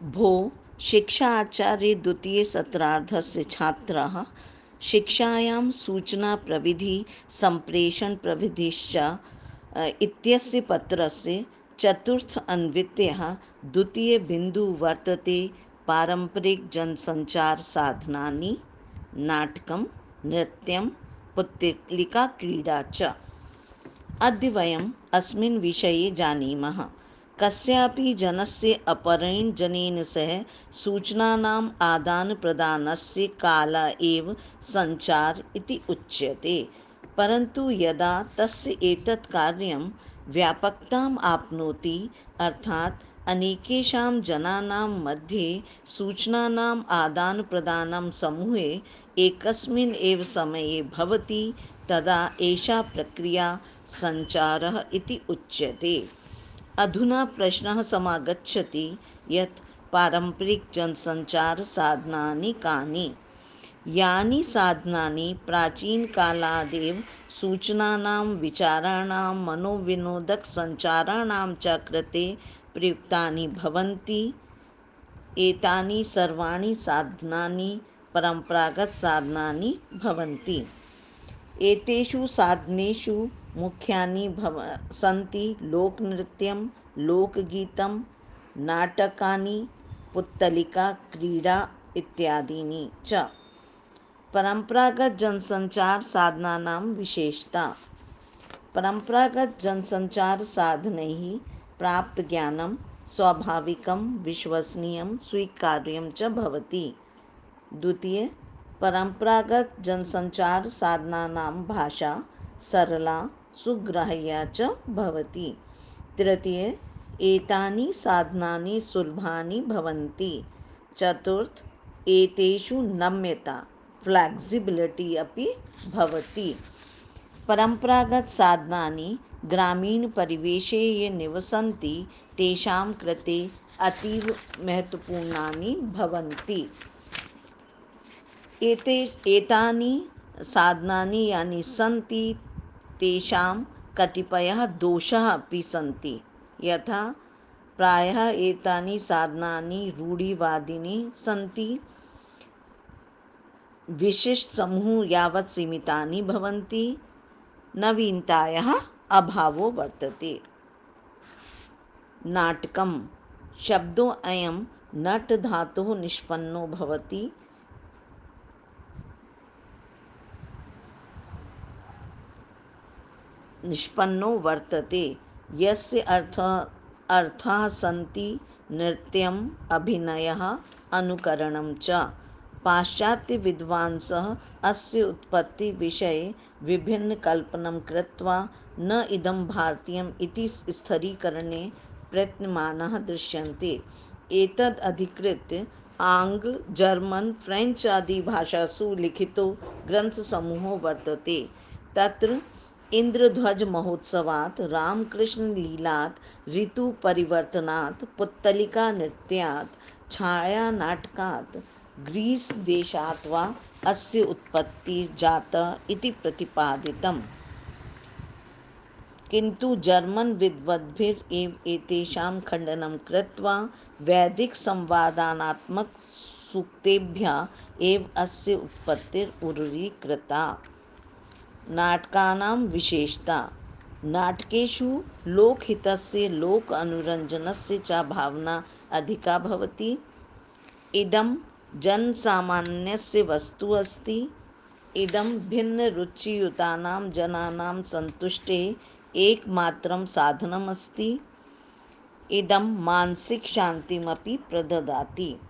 भो शिक्षा आचार्य द्वितीय सत्रार्धस्य छात्रः शिक्षायां सूचनाप्रविधि सम्प्रेषण प्रविधिश्च इत्यस्य पत्रस्य चतुर्थ अन्वित्यः द्वितीयबिन्दुः वर्तते पारम्परिकजनसञ्चारसाधनानि नाटकं नृत्यं पुत्तलिकाक्रीडा च। अद्य वयम् अस्मिन् विषये जानीमः। कस्यापि जनस्य अपरेण जनेन सह सूचनानाम् आदानप्रदानस्य कालः एव सञ्चार इति उच्यते। परन्तु यदा तस्य एतत् कार्यं व्यापकताम् आप्नोति, अर्थात् अनेकेषां जनानां मध्ये सूचनानाम् आदानप्रदानं समूहे एकस्मिन् एव समये भवति, तदा एषा प्रक्रिया सञ्चारः इति उच्यते। अधुना प्रश्नः समागच्छति यत् पारम्परिकजनसञ्चारसाधनानि कानि? यानि साधनानि प्राचीनकालादेव सूचनानां, विचाराणां, मनोविनोदकसञ्चाराणां च कृते प्रयुक्तानि भवन्ति, एतानि सर्वाणि साधनानि परम्परागतसाधनानि भवन्ति। एतेषु साधनेषु मुख्यानि सन्ति लोकनृत्यं, लोकगीतं, नाटकानि, पुत्तलिकाक्रीडा इत्यादीनि च। परम्परागतजनसञ्चारसाधनानां विशेषता। परम्परागतजनसञ्चारसाधनैः प्राप्तज्ञानं स्वाभाविकं, विश्वसनीयं, स्वीकार्यं च भवति। द्वितीय, परम्परागतजनसञ्चारसाधनानां भाषा सरला, सुग्राह्या च भवति। तृतीय, एतानि साधनानि सुलभानि भवन्ति। चतुर्थ, एतेषु नम्यता फ्लेक्सिबिलिटी अपि भवति। परम्परागतसाधनानि ग्रामीणपरिवेशे ये निवसन्ति तेषां कृते अतीव महत्त्वपूर्णानि भवन्ति। एतानि साधनानि यानि सन्ति तेषां कतिपयः दोषाः अपि सन्ति। यथा प्रायः एतानि साधनानि रूढिवादिनी सन्ति, विशिष्टसमूह यावत् सीमितानि भवन्ति, नवीनतायाः अभावो वर्तते। नाटकं शब्दोऽयं नट धातोः निष्पन्नो वर्तते, यस्य अर्थाः सन्ति नृत्यम्, अभिनयः, अनुकरणं च। पाश्चात्यविद्वांसः अस्य उत्पत्तिविषये विभिन्नकल्पनं कृत्वा न इदं भारतीयम् इति स्थिरीकरणे प्रयत्नमानाः दृश्यन्ते। एतद् अधिकृत्य आङ्ग्ल, जर्मन्, फ्रेञ्च् आदि भाषासु लिखितो ग्रन्थसमूहो वर्तते। तत्र इन्द्रध्वजमहोत्सवात्, रामकृष्णलीलात्, ऋतुपरिवर्तनात्, पुत्तलिकानृत्यात्, छायानाटकात्, ग्रीस्देशात् वा अस्य उत्पत्तिः जाता इति प्रतिपादितम्। किन्तु जर्मन् विद्वद्भिरेव एतेषां खण्डनं कृत्वा वैदिकसंवादात्मकसूक्तेभ्यः एव अस्य उत्पत्तिरुरीकृता। नाटकानां विशेषता। नाटकेषु लोकहितस्य, लोक अनुरञ्जनस्य च भावना अधिका भवति। इदं जनसामान्यस्य वस्तु अस्ति। इदं भिन्नरुचियुतानां जनानां सन्तुष्टेः एकमात्रं साधनमस्ति। इदं मानसिकशान्तिमपि प्रददाति।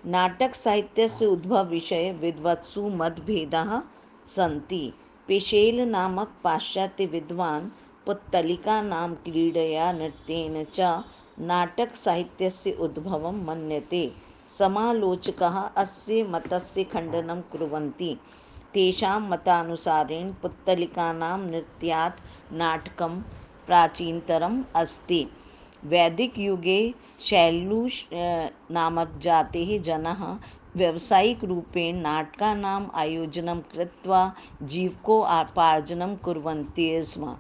नाटकसाहित्यस्य उद्भवविषये विद्वत्सु मतभेदाः सन्ति। पेशेल नामक पाश्चात्यविद्वान् पुत्तलिका नाम क्रीडया, नृत्येन च नाटकसाहित्यस्य उद्भवं मन्यते। समालोचकाः अस्य मतस्य खण्डनं कुर्वन्ति। तेषां मतानुसारेण पुत्तलिकानां नृत्यात् नाटकं प्राचीनतरम् अस्ति। वैदिकयुगे शैलूष नामक जातेः जनाः व्यावसायिकरूपेण नाटकानाम् आयोजनं कृत्वा जीविकोपार्जनं कुर्वन्ति स्म।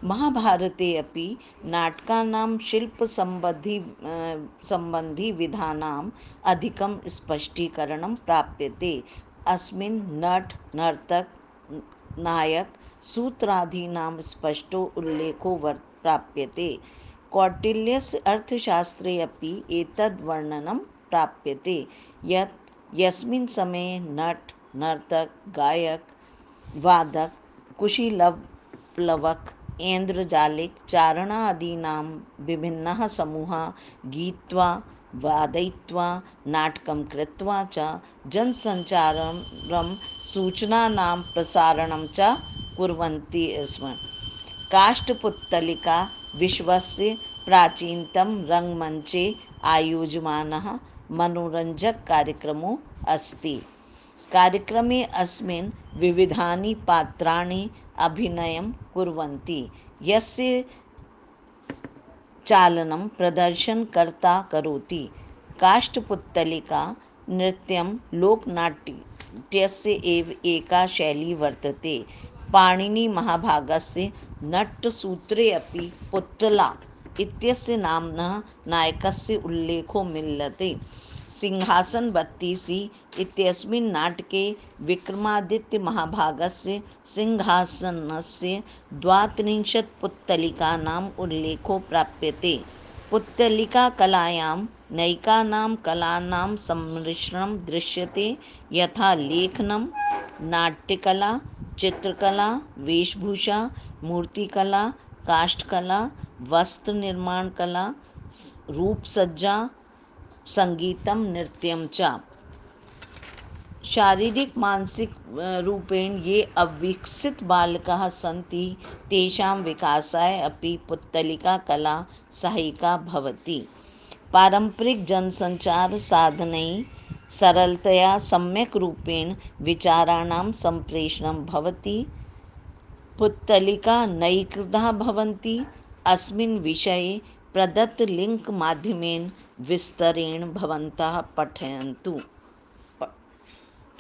महाभारते अपि नाटकानां सम्बन्धिविधानाम् अधिकं स्पष्टीकरणं प्राप्यते। अस्मिन् नट नर्तक नायक सूत्रादीनां स्पष्टो उल्लेखो प्राप्यते। कौटिल्यस्य अर्थशास्त्रे अपि एतद् वर्णनं प्राप्यते यत् यस्मिन् समये नट नर्तक गायक वादक कुशीलप्लवक ऐन्द्रजालिक चारणादीनां विभिन्नः समूहाः गीत्वा वादयित्वा नाटकं कृत्वा च जनसञ्चारं सूचनानां प्रसारणं च कुर्वन्ति स्म। काष्ठपुत्तलिका विश्वस्य प्राचीनतम रङ्गमञ्चे आयोज्यमानः मनोरञ्जककार्यक्रमो अस्ति। कार्यक्रमे अस्मिन् विविधानि पात्राणि अभिनयं कुर्वन्ति, यस्य चालनं प्रदर्शनकर्ता करोति। काष्ठपुत्तलिका नृत्यं लोकनाट्यस्य एव एका शैली वर्तते। पाणिनिमहाभागस्य नट्यसूत्रे अपि पुत्तला इत्यस्य नाम्नः नायकस्य उल्लेखो मिलति। सिंहासनबत्तीसी इत्यस्मिन् नाटके विक्रमादित्यमहाभागस्य सिंहासनस्य द्वात्रिंशत् पुत्तलिकानाम् उल्लेखो प्राप्यते। पुत्तलिकाकलायां नैकानां कलानां सम्मिश्रणं दृश्यते, यथा लेखनं, नाट्यकला, चित्रकला, वेशभूषा, मूर्तिकला, काष्ठकला, वस्त्रनिर्माणकला, रूपसज्जा, सङ्गीतं, नृत्यं च। शारीरिक मानसिक रूपेण ये अविकसितबालकाः सन्ति तेषां विकासाय अपि पुत्तलिकाकला सहायिका भवति। पारम्परिकजनसञ्चारसाधनैः सरलतया सम्यक् रूपेण विचाराणां सम्प्रेषणं भवति। पुत्तलिका नैकधा भवन्ति। अस्मिन् विषये प्रदत्तलिङ्क् माध्यमेन विस्तरेण भवन्तः पठन्तु।